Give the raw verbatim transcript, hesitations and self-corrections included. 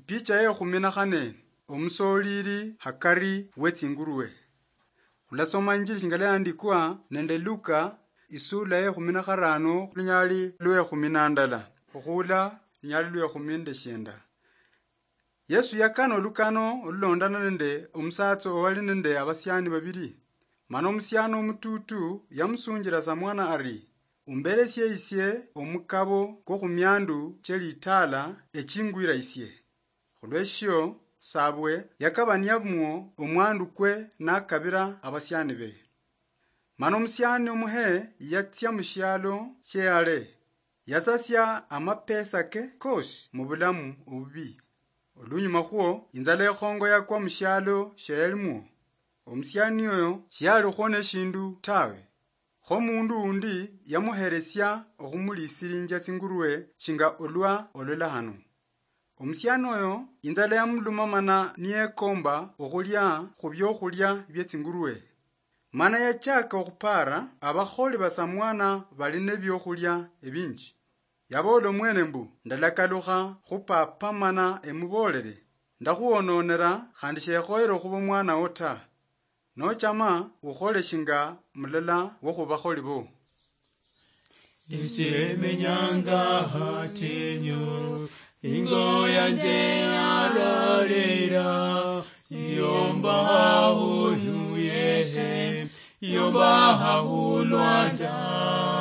Picha ye khumi na khane. Omusoolili hakari we tsingurwe. Khulasoma injili shinga yaandikwa nende Luka, isula ye khumi na kharano, lunyali lwe khumi na ndala, okhuula lunyali lwe khumi nende shienda. Yesu yakana olukano olulondana nende omusatsa owali nende abasiani babili. Mana omusiani omutuutu yamusunjila samwana ari, "Umberesie isie omukabo kwo khumiandu che litaala echingwira isie." Khulweshio, sabwe yakabaniamwo omwandu kwe nakabira abasiani be. Mana omusiani omuhe yatsia mushialo shie hale, yasasia amapesa ke kosi mubulamu obubi. Olunyuma khwo, inzala ekhongo yakwa mushialo shia yalimwo. Omusiani oyo shialikhwo neshindu tawe. Kho mundu undi yamuheresia okhumulisilinjia tsingurwe shinga olwa olola hano. Omusiani oyo inzala yamuluma mana niyekomba okhulia khu biokhulia bie tsingurwe. Mana yachaka okhupara abakholi basamwana bali nebiokhulia ebinji. Yaboola omwene mbu, "Ndalakalukha khu papa mana emuboolele, ndakhuwononera khandi shekhoyere okhuba omwanawo ta. Nochama ukhole shinga mulala wo khubakholi bo." Esie menyanga hatinyu, ingo yanje yalalira, yomba hahulu yehe, yomba hahulwanda.